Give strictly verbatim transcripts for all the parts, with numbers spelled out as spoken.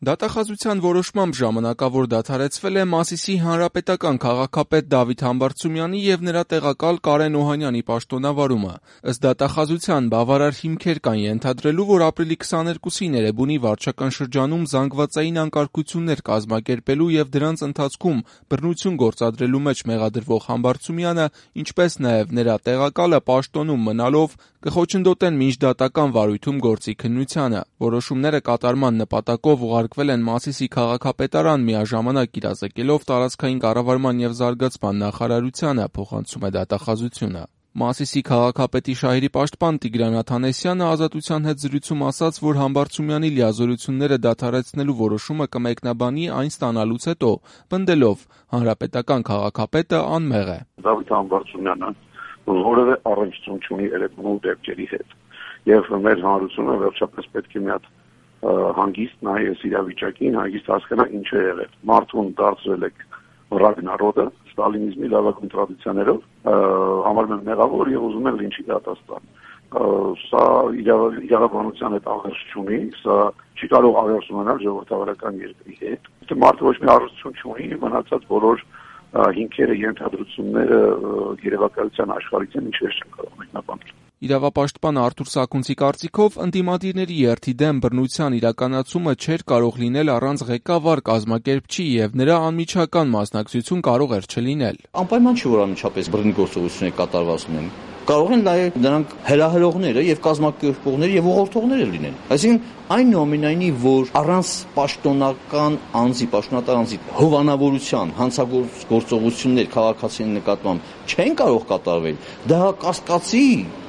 Դատախազության որոշմամբ ժամանակավոր դադարեցվել է Մասիսի հանրապետական քաղաքապետ Դավիթ Համբարձումյանի և նրա տեղակալ Կարեն Օհանյանի պաշտոնավարումը։ Ըստ դատախազության բավարար հիմքեր կան ենթադրելու, որ ապրիլի քսաներկուսին Էրեբունի վարչական շրջանում զանգվածային անկարգություններ կազմակերպելու և դրանց ընթացքում բռնություն գործադրելու մեջ մեղադրվող Համբարձումյանը, ինչպես նաև նրա տեղակալը պաշտոնում մնալով կխոչընդոտեն մինչդատական վարույթում գործի քննությանը։ Որոշումները կատարման նպատակով ուղարկվել են Մասիսի քաղաքապետարան, միաժամանակ իրազեկելով տարածքային կառավարման և զարգացման նախարարությանը, փոխանցում է դատախազությունը։ Մասիսի քաղաքապետի շահերի պաշտպան Տիգրան Աթանեսյանը «Ազատության» հետ զրույցում ասաց, որ Համբարձումյանի լիազորությունները դադարեցնելու որոշումը կմեկնաբանի այն ստանալուց հետո, պնդելով՝ հանրապետական քաղաքապետը անմեղ է։ Դավիթ Համբարձումյանը որևէ առնչություն չունի Էրեբունու դեպքերի հետ, եւ մեր հանրությունը վերջապես պետք է մի հատ հանգիստ նայի այս իրավիճակին, հանգիստ հասկանա ինչ է եղել։ Մարդուն դարձրել եք ռագնարոդը, ստալինիզմի լավագույն տրադիցիաներով, համարում են մեղավոր եւ ուզում են լինչի դատաստան։ Սա իրավաբանության հետ աղերս չունի, սա չի կարող աղերս ունենալ ժողովրդավարական երկրի հետ։ Եթե մարդը ոչ մի առնչություն չունի, մնացած բոլոր հիմքերը, ենթադրությունները երևակայության աշխարհից են, ինչպես չեն կարող մեկնաբանել։ Իրավապաշտպան Արթուր Սաքունցի կարծիքով ընդդիմադիրների երթի դեմ բռնության իրականացումը չէր կարող լինել առանց ղեկավար կազմակերպչի եւ նրա անմիջական մասնակցություն կարող էր չլինել։ Անպայման չէ, որ անմիջապես բռնի գործողություններ կատարված լինեն։ Կարող են նաև նրանք հրահրողները եւ կազմակերպողները եւ ուղղորդողները լինեն։ Այսինքն այնուամենայնիվ, որ առանց պաշտոնական անձի, պաշտոնատար անձի հովանավորության հանցագործ գործողություններ քաղաքացիների նկատմամբ չեն կարող կատարվել, դա կասկածի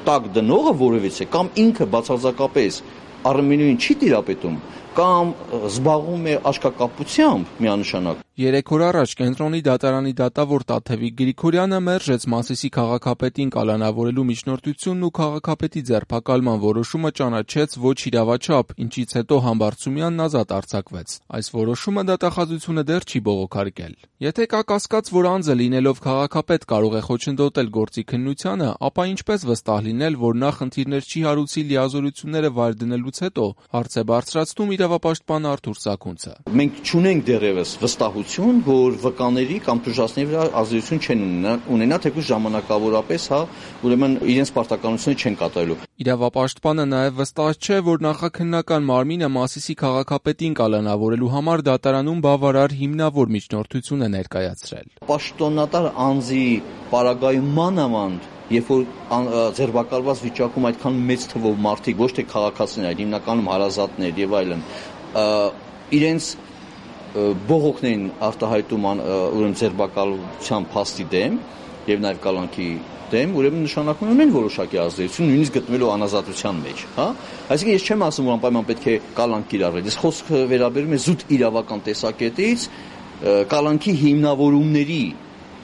տակ դնողը որևիցե կամ ինքը բացարձակապես առմենույն չի տիրապետում կամ զբաղվում է աչքակապությամբ միանշանակ։ Երեք օր առաջ կենտրոնի դատարանի դատավոր Տաթևիկ Գրիգորյանը մերժեց Մասիսի քաղաքապետին կալանավորելու միջնորդությունն ու քաղաքապետի ձերբակալման որոշումը ճանաչեց ոչ իրավաչափ, ինչից հետո Համբարձումյանն ազատ արձակվեց։ Այս որոշումը դատախազությունը դեռ չի բողոքարկել։ Եթե կա կասկած, որ անձը լինելով քաղաքապետ կարող է խոչընդոտել գործի քննությանը, ապա ինչպես վստահ լինել, որ նա խնդիրներ չի հարուցի լիազորությունները վայր դնելուց հետո, հարց է բարձրացնում իրավապաշտպան Արթուր Սաքունցը։ Մենք չունենք դեռևս վստահություն, որ վկաների կամ տուժածների վրա ազդեցություն չեն ունենա, թեկուզ ժամանակավորապես, հա, ուրեմն իրենց պարտականությունը չեն կատարելու։ Իրավապաշտպանը նաև վստահ չէ, որ նախաքննական մարմինը Մասիսի քաղաքապետին կալանավորելու համար դատարանում բավարար հիմնավոր միջնորդություն է ներկայացրել։ Պաշտոնատար անձի պարագայում մանավանդ, երբ որ ձերբակալված վիճակում այդքան մեծ թվով մարդիկ, ոչ թե քաղաքացիներ, այլ հիմնականում հարազատներ եւ այլն, իրենց բողոքներին արտահայտում ուրեմն ձերբակալության փաստի դեմ եւ նաեւ կալանքի դեմ, ուրեմն նշանակում ունեն որոշակի ազդեցություն, նույնիսկ գտնվելու անազատության մեջ, հա։ Այսինքն ես չեմ ասում, որ անպայման պետք է կալանք կիրառել։ Ես խոսքը վերաբերում է զուտ իրավական տեսակետից կալանքի հիմնավորումների,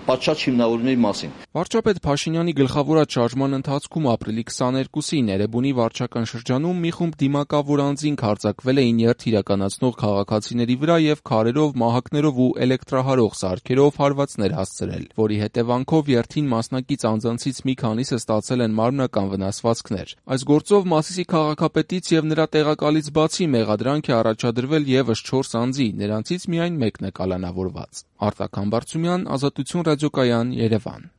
պատշաճ հիմնավորումների մասին։ Վարչապետ Փաշինյանի գլխավորած շարժման ընթացքում ապրիլի քսաներկուսին Էրեբունի վարչական շրջանում մի խումբ դիմակավոր անձինք հարձակվել էին երթ իրականացնող քաղաքացիների վրա եւ քարերով, մահակներով ու էլեկտրահարող սարքերով հարվածներ հասցրել, որի հետևանքով երթին մասնակից անձանցից մի քանիսը ստացել են մարմնական վնասվածքներ։ Այս գործով Մասիսի քաղաքապետից եւ նրա տեղակալից բացի մեղադրանք է առաջադրվել եւս չորս անձի, նրանցից միայն մեկն է կալանավորված։ Արտակ Համբարձումյան, Ազատություն ռադիոկայան, Երևան։